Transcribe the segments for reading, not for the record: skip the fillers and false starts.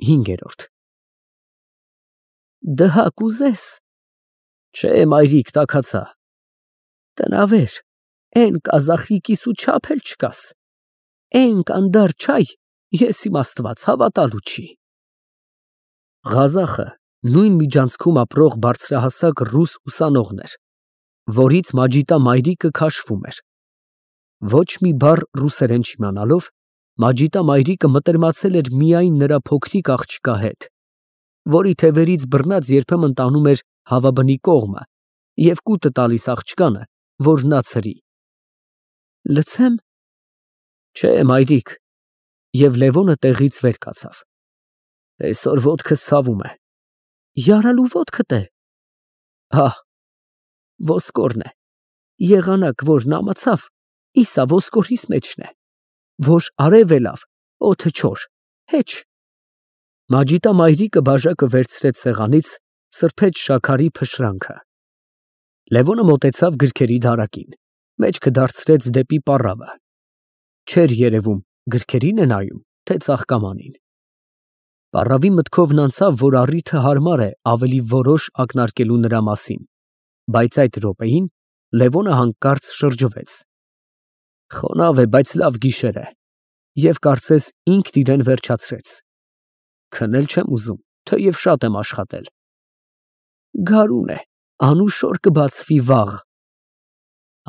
5 Դհակ ուզես։ Չէ, մայրիկ, տաքացա։ Տնավեր, էն կազախի կիսու չափ էլ չկաս։ Էն կանդար չայ, ես իմ Աստված հավատալու չի։ Ղազախը նույն միջանցքում ապրող բարձրահասակ ռուս ուսանողն էր, որից Մաջիդա մայրիկը քաշվում էր։ Ոչ մի բառ ռուսերեն չիմանալով, Մաջիդա մայրիկը մտերմացել էր միայն նրա փոքրիկ աղջկա հետ, որի թևերից բռնած երբեմն տանում էր հավաբնի կողմը և կուտը տալիս աղջկանը, որ նա ցրի։ Լցե՞մ։ Չէ, մայրիկ, և Լևոնը տեղից վեր կացավ։ Այսօր ոտքս ցավում է։ Յարալու ոտքդ է։ Հա, ոսկորն է։ Եղանակ, որ նամացավ, իսա ոսկորիս մեջն է, որ արև է լավ, օդը չոր, հեչ։ Մաջիդա մայրիկը բաժակը վերցրեց սեղանից, սրբեց շաքարի փշրանքը։ Լևոնը մոտեցավ գրքերի դարակին, մեջքը դարձրեց դեպի պառավը։ Չէր երևում գրքերին է նայում, թե ծաղկամանին։ Պառավի մտքովն անցավ, որ առիթը հարմար է ավելի որոշ ակնարկելու նրա մասին, բայց այդ րոպեին Լևոնը հանկարծ շրջվեց։ Խոնավ է, բայց լավ գիշեր է, և կարծես ինքն իրեն վերջացրեց։ Քնել չեմ ուզում, թեև շատ եմ աշխատել։ Գարուն է, անուշոր կբացվի վաղ։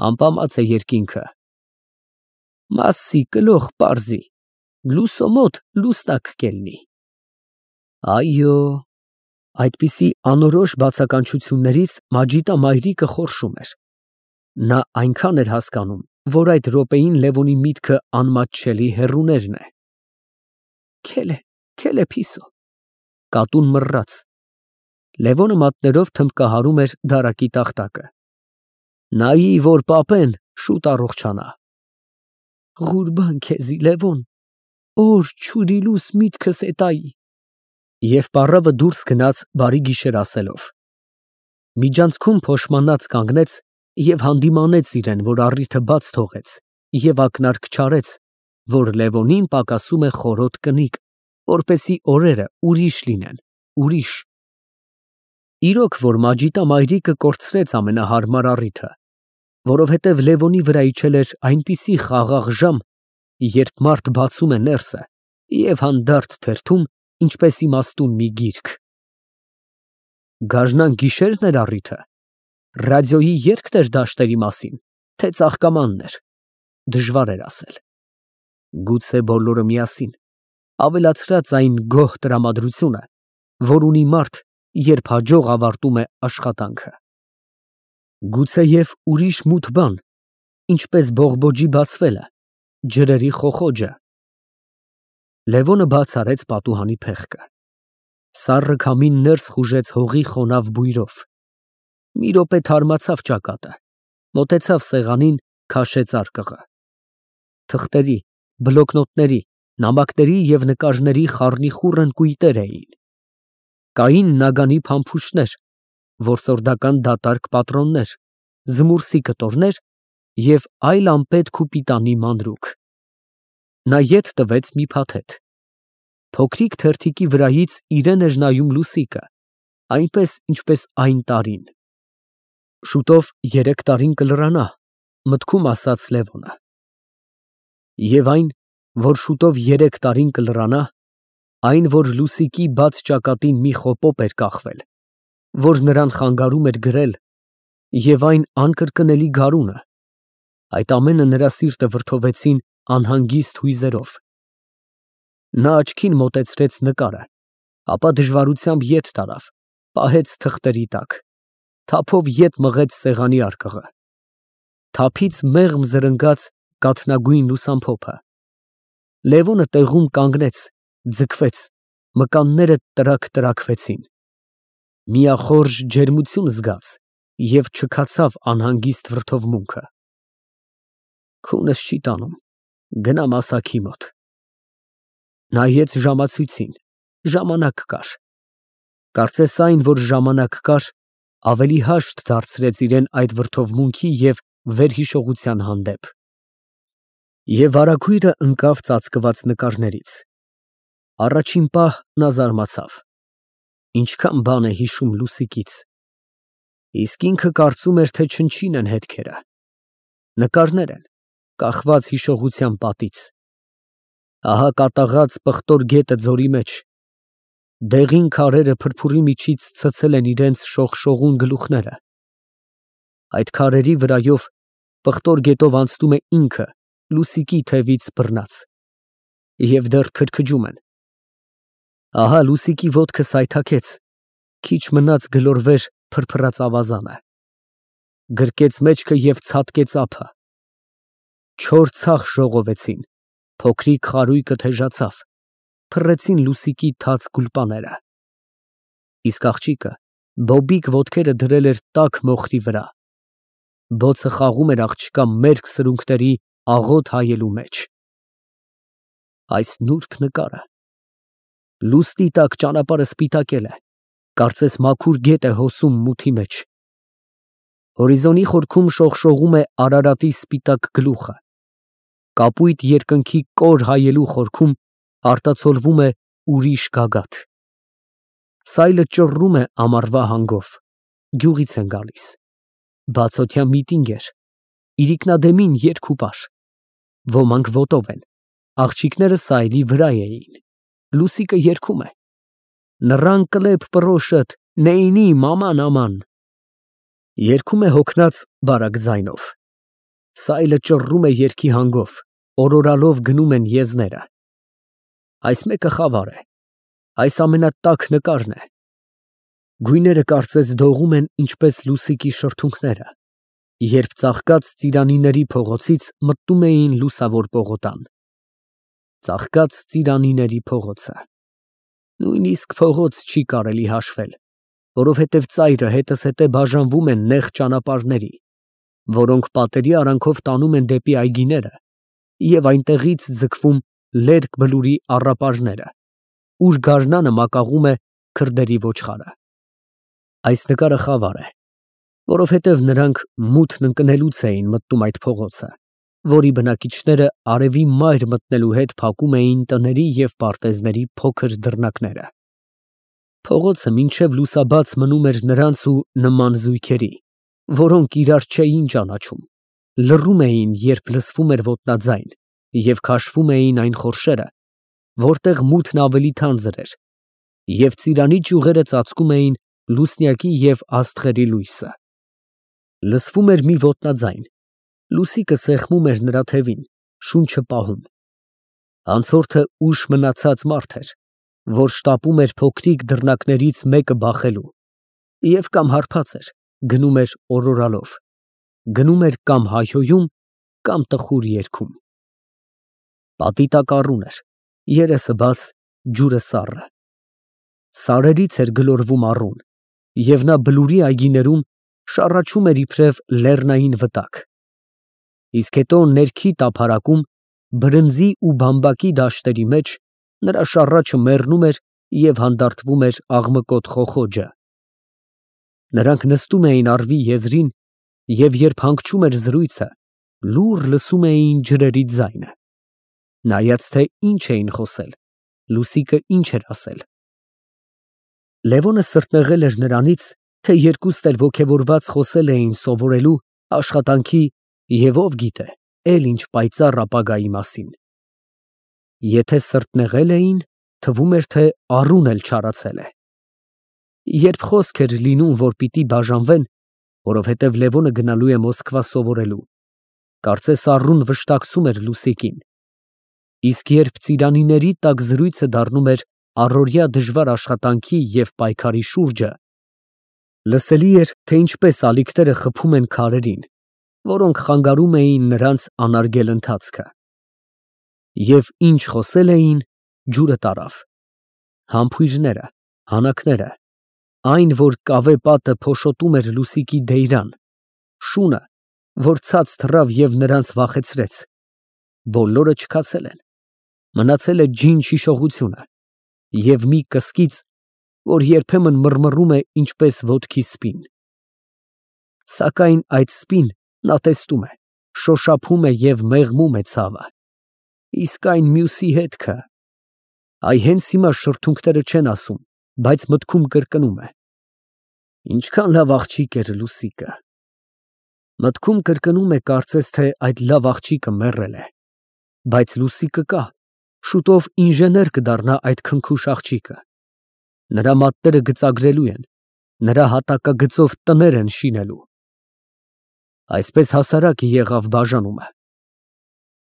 Ամպամած է երկինքը։ Մասսի կլող պարզի, լուսո մոտ լուսնակ կելնի։ Այո, այդպիսի անորոշ բացականչություններից Մաջիդա մայրիկը խորշում էր։ Նա այնքան էր հասկանում, որ այդ րոպեին Լևոնի միտքը անմատչելի հեռուներն է։ Քել է փիսո, կատուն մռռաց։ Լևոնը մատներով թմբկահարում էր դարակի տախտակը։ Նայի, որ պապեն շուտ առողջանա։ Ղուրբան քեզի, Լևոն, օր չուրիլուս միտքս էտայի։ Եվ պառավը դուրս գնաց բարի գիշեր ասելով։ Միջանցքում փոշմանած կանգնեց և հանդիմանեց իրեն, որ առիթը բաց թողեց, և ակնարկ չարեց, որ Լևոնին պակասում է խորոտ կնիկ, որպեսզի օրերը ուրիշ լինեն, ուրիշ։ Իրոք, որ Մաջիդա մայրիկը կորցրեց ամենահարմար առիթը, որովհետև Լևոնի վրա իջել էր այնպիսի խաղաղ ժամ, երբ մարդ բացում է ներսը և հանդարտ թերթում, ինչպես իմաստուն մի գիրք։ Գարնան գիշերն էր առիթը, ռադիոյի երգն էր դաշտերի մասին, թե ծաղկամանն էր, դժվար էր ասել։ Գուցե բոլորը միասին, ավելացրած այն գոհ տրամադրությունը, որ ունի մարդ, երբ հաջող ավարտում է աշխատանքը։ Գուցեև ուրիշ մութ բան, ինչպես բողբոջի բացվելը, ջրերի խոխոջը։ Լևոնը բաց արեց պատուհանի փեղկը։ Սառը քամին ներս խուժեց հողի խոնավ բույրով։ Մի րոպե թարմացավ ճակատը, մոտեցավ սեղանին, քաշեց արկղը։ Թղթերի, բլոկնոտների, նամակների և նկարների խառնիխուռն կույտեր էին։ Կային նագանի փամփուշտներ, որսորդական դատարկ պատրոններ, զմուրսի կտորներ և այլ անպետք ու պիտանի մանրուք։ Նա ետ տվեց մի փաթեթ։ Փոքրիկ թերթիկի վրայից իրեն էր նայում լուսիկը, այնպես, ինչպես այն տարին։ Շուտով 3 տարին կլրանա, մտքում ասաց Լևոնը։ Եվ այն, որ շուտով 3 տարին կլրանա, այն, որ լուսիկի բաց ճակատին մի խոպոպ էր կախվել, որ նրան խանգարում էր գրել, և այն անկրկնելի գարունը, այդ ամենը նրա սիրտը վրդովեցին անհանգիստ հույզերով։ Նա աչքին մոտեցրեց նկարը, ապա դժվարությամբ ետ տարավ, պահեց թղթերի տակ, թափով ետ մղեց սեղանի արկղը։ Թափից մեղմ զրնգաց կաթնագույն լուսամփոփը։ Լևոնը տեղում կանգնեց, ձգվեց, մկանները տրաքվեցին։ Միախորժ ջերմություն զգաց և չքացավ անհանգիստ վրդովմունքը։ Քունս չի տանում, գնամ ասագի մոտ։ Նայեց ժամացույցին, ժամանակ կար։ Կարծես այն, որ ժամանակ կար, ավելի հաշտ դարձրեց իրեն այդ վրդովմունքի և վերհիշողության հանդեպ։ Եվ վարագույրը ընկավ ծածկված նկարներից։ Առաջին պահ նա զարմացավ. ինչքան բան է հիշում Լուսիկից, իսկ ինքը կարծում էր, թե չնչին են հետքերը, նկարներ են, կախված հիշողության պատից, ահա կատաղած պղտոր գետը ձորի մեջ, դեղին քարերը փրփուրի միջից ցցել են իրենց շողշողուն գլուխները, այդ քարերի վրայով պղտոր գետով անցնում է ինքը, Լուսիկի թևից բռնած, և դեռ քրքջում են, ահա Լուսիկի ոտքը սայթաքեց, քիչ մնաց գլորվեր փրփրած ավազանը, գրկեց մեջքը և ցատկեց ափը, չոր ցախ ժողովեցին, փոքրիկ խարույկը թեժացավ, փռեցին Լուսիկի թաց գուլպաները, իսկ աղջիկը բոբիկ ոտքերը դրել էր տաք մոխրի վրա, բոցը խաղում էր աղջկա մերկ սրունքների աղոտ հայելու մեջ, այս նուրբ նկարը, լուսնի տակ ճանապարհը սպիտակել է, կարծես մաքուր գետ է հոսում մութի մեջ, հորիզոնի խորքում շողշողում է Արարատի սպիտակ գլուխը, կապույտ երկնքի կոր հայելու խորքում արտացոլվում է ուրիշ գագաթ, սայլը ճռռում է ամառվա հանգով, գյուղից են գալիս, բացօթյա միտինգ էր, իրիկնադեմին երգ ու պար, ոմանք ոտով են, աղջիկները սայլի վրա էին, Լուսիկը երգում է. Նռան կլեպ պռոշըտ, նեյնի մաման աման, երգում է հոգնած բարակ ձայնով, սայլը ճռռում է երգի հանգով, օրորալով գնում են եզները, այս մեկը խավար է, այս ամենատաք նկարն է, գույները կարծես դողում են ինչպես Լուսիկի շրթունքները, երբ ծաղկած ծիրանիների փողոցից մտնում էին լուսավոր պողոտան, ծաղկած ծիրանիների փողոցը, նույնիսկ փողոց չի կարելի հաշվել, որովհետև ծայրը հետզհետե բաժանվում են նեղ ճանապարհների, որոնք պատերի արանքով տանում են դեպի այգիները և այնտեղից ձգվում լերկ բլուրի առապարները, ուր գարնանը մակաղում է քրդերի ոչխարը, այս նկարը խավար է, որովհետև նրանք մութն ընկնելուց էին մտնում այդ փողոցը, որի բնակիչները արևի մայր մտնելու հետ փակում էին տների և պարտեզների փոքր դռնակները, փողոցը մինչև լուսաբաց մնում էր նրանց ու նման զույգերի, որոնք իրար չէին ճանաչում, լռում էին, երբ լսվում էր ոտնաձայն և քաշվում էին այն խորշերը, որտեղ մութն ավելի թանձր էր, և ծիրանի ճյուղերը ծածկում էին լուսնյակի և աստղերի լույսը, լսվում էր մի ոտնաձայն, Լուսիկը սեղմում էր նրա թևին, շունչը պահում, անցորդը ուշ մնացած մարդ էր, որ շտապում էր փոքրիկ դռնակներից մեկը բախելու և կամ հարբած էր, գնում էր օրորալով, գնում էր կամ հայհոյում, կամ տխուր երգում, պատի տակ առուն էր, երեսը բաց, ջուրը սառը, սարերից էր գլորվում առուն, և նա բլուրի այգիներում շառաչում էր իբրև լեռնային վտակ, իսկ հետո ներքի տափարակում, բրնձի ու բամբակի դաշտերի մեջ նրա շառաչը մեռնում էր և հանդարտվում էր աղմկոտ խոխոջը, նրանք նստում էին առվի եզրին և երբ հանգչում էր զրույցը, լուռ լսում էին ջրերի ձայնը, նայած թե ինչ էին խոսել, Լուսիկը ինչ էր ասել, Լևոնը սրտնեղել էր նրանից, թե երկուստ էլ ոգևորված խոսել էին սովորելու, աշխատանքի և ով գիտե, էլ ինչ պայծառ ապագայի մասին, եթե սրտնեղել էին, թվում էր, թե առուն էլ չարացել է, երբ խոսք էր լինում, որ պիտի բաժանվեն, որովհետև Լևոնը գնալու է Մոսկվա սովորելու, կարծես առուն վշտակցում էր Լուսիկին, իսկ երբ ծիրանիների տակ զրույցը դառնում էր առօրյա դժվար աշխատանքի և պայքարի շուրջը, լսելի էր, թե ինչպես ալիքները խփում են քարերին, որոնք խանգարում էին նրանց անարգել ընթացքը, և ինչ խոսել էին, ջուրը տարավ, համբույրները, հանակները, այն, որ կավե պատը փոշոտում էր Լուսիկի դեյրան, շունը, որ ցած թռավ և նրանց վախեցրեց, բոլորը չքացել են, մնացել է ջինջ հիշողությունը և մի կսկիծ, որ երբեմն մռմռում է ինչպես ոտքի սպին, սակայն այդ սպին նա տեսնում է, շոշափում է և մեղմում է ցավը, իսկ այն մյուսի հետքը, Այ հենց հիմա շրթունքները չեն ասում, բայց մտքում կրկնում է. ինչքան լավ աղջիկ էր Լուսիկը։ Մտքում կրկնում է կարծես թե այդ լավ աղջիկը մեռել է, բայց Լուսիկը կա, շուտով ինժեներ կդառնա այդ քնքուշ աղջիկը։ Նրա մատները գծագրելու են, նրա հատակագծով տներ են շինելու։ Այսպես հասարակ եղավ բաժանումը։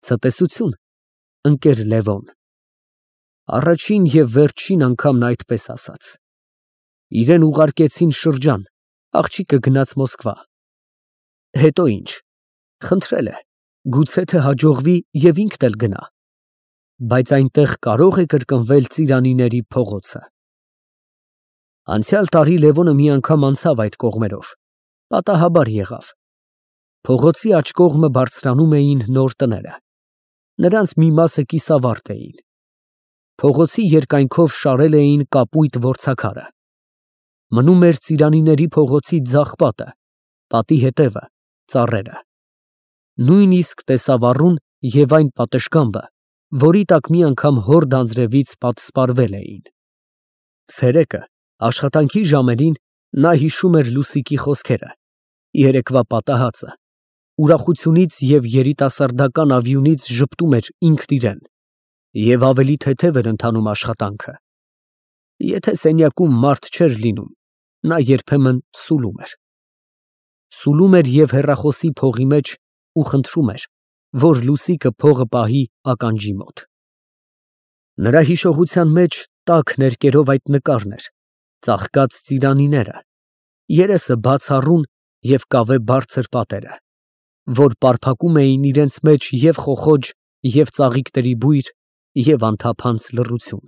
Ցտեսություն, ընկեր Լևոն։ Առաջին և վերջին անգամն այդպես ասաց։ Իրեն ուղարկեցին շրջան, աղջիկը գնաց Մոսկվա։ Հետո ինչ, խնդրել է, գուցե թե հաջողվի և ինքն էլ գնա, բայց այնտեղ կարող է կրկնվել Ծիրանիների փողոցը։ Անցյալ տարի Լևոնը մի անգամ անցավ այդ կողմերով, պատահաբար եղավ։ Փողոցի աջ կողմը բարձրանում էին նոր տները, նրանց մի մասը կիսավարդ էին։ Փողոցի երկայնքով շարել էին կապույտ որցաքարը։ Մնում էր Ծիրանիների փողոցի ձախ պատը, պատի հետևը, ծառերը։ Նույնիսկ տեսավառուն և այն պատշգամբը, որի տակ մի անգամ հոր Դանձրևից պատսպարվել էին։ Ցերեկը, աշխատանքի ժամերին, նա հիշում էր Լուսիկի խոսքերը, երեկվա պատահածը, ուրախությունից և երիտասարդական ավյունից ժպտում էր ինքն իրեն, և ավելի թեթև էր ընթանում աշխատանքը։ Եթե սենյակում մարդ չէր լինում, նա երբեմն սուլում էր։ Սուլում էր և հեռախոսի փողի մեջ ու խնդրում էր, որ Լուսիկը փողը պահի ականջի մոտ։ Նրա հիշողության մեջ տաք ներկերով այդ նկարն էր, ծաղկած ծիրանիները, երեսը բացառուն և կավե բարձր պատերը, որ պարփակում էին իրենց մեջ և խոխոջ, և ծաղիկների բույր, և անթափանց լռություն։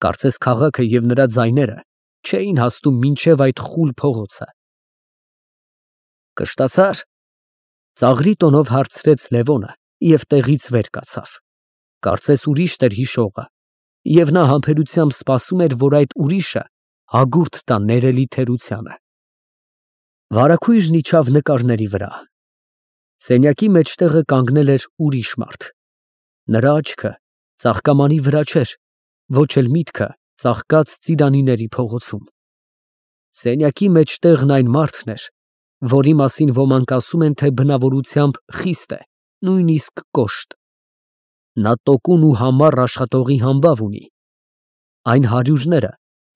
Կարծես քաղաքը և նրա ձայները չէին հասնում մինչև այդ խուլ փողոցը։ Կշտացա՞ր, ծաղրի տոնով հարցրեց Լևոնը և տեղից վեր կացավ։ Կարծես ուրիշ էր հիշողը, և նա համբերությամբ սպասում էր, որ այդ ուրիշը հագուրդ տա ներելի թերությանը։ Վարագույրն իջավ նկարների վրա։ Սենյակի մեջտեղը կանգնել էր ուրիշ մարդ։ Նրա աչքը ծաղկամանի վրա չէր, ոչ էլ միտքը ծաղկած Ծիրանիների փողոցում։ Սենյակի մեջտեղն այն մարդն էր, որի մասին ոմանք ասում են, թե բնավորությամբ խիստ է, նույնիսկ կոշտ։ Նա տոկուն ու համառ աշխատողի համբավ ունի։ Այն հարյուրները,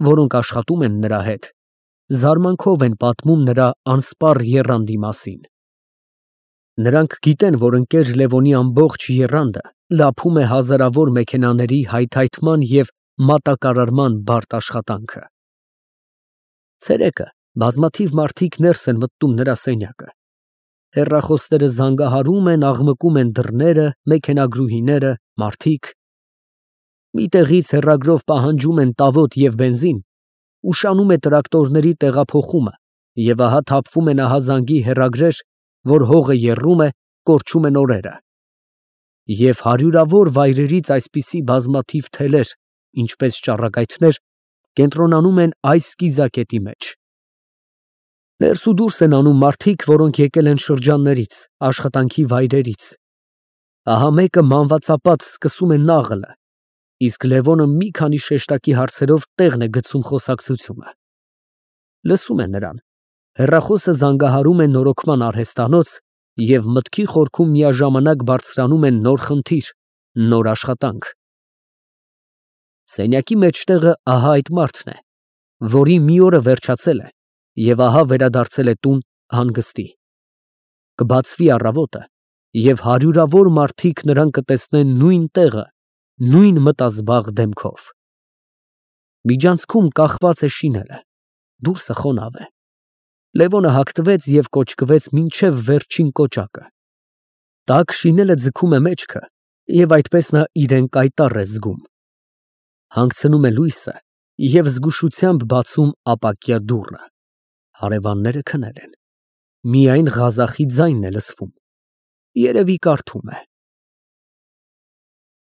որոնք աշխատում են նրա հետ, զարմանքով են պատմում նրա անսպառ եռանդի մասին։ Նրանք գիտեն, որ ընկեր Լևոնի ամբողջ եռանդը լափում է հազարավոր մեքենաների հայթայթման և մատակարարման բարդ աշխատանքը։ Ցերեկը բազմաթիվ մարդիկ ներս են մտնում նրա սենյակը։ Հեռախոսները զանգահարում են, աղմկում են դռները, մեքենագրուհիները, մարդիկ։ Մի տեղից հեռագրով պահանջում են տավոտ և բենզին, ուշանում է տրակտորների տեղափոխումը, և ահա թափվում են ահազանգի հեռագրեր, որ հողը եռում է, կորչում են օրերը։ Եվ հարյուրավոր վայրերից այսպիսի բազմաթիվ թելեր, ինչպես ճառագայթներ, կենտրոնանում են այս կիզակետի մեջ։ Ներս ու դուրս են անում մարդիկ, որոնք եկել են շրջաններից, աշխատանքի վայրերից։ Ահա մեկը մանվածապատ սկսում է նաղլը, իսկ Լևոնը մի քանի շեշտակի հարցերով տեղն է գցում խոսակցությունը։ Լսում է նրան, հեռախոսը զանգահարում է նորոգման արհեստանոց, և մտքի խորքում միաժամանակ բարձրանում է նոր խնդիր, նոր աշխատանք։ Սենյակի մեջտեղը ահա այդ մարդն է, որի մի օրը վերջացել է, և ահա վերադարձել է տուն հանգստի։ Կբացվի առավոտը, և հարյուրավոր մարդիկ նրան կտեսնեն նույն տեղը, նույն մտազբաղ դեմքով։ Միջանցքում կախված է շիները, դուրսը խոնավ է։ Լևոնը հագնվեց և կոճկվեց մինչև վերջին կոճակը։ Տաք շինելը ձգում է մեջքը, և այդպես նա իրեն կայտառ է զգում։ Հանգցնում է լույսը և զգուշությամբ բացում ապակյա դուռը։ Հարևանները քնել են։ Միայն ղազախի ձայնն է լսվում։ Երևի կարդում է։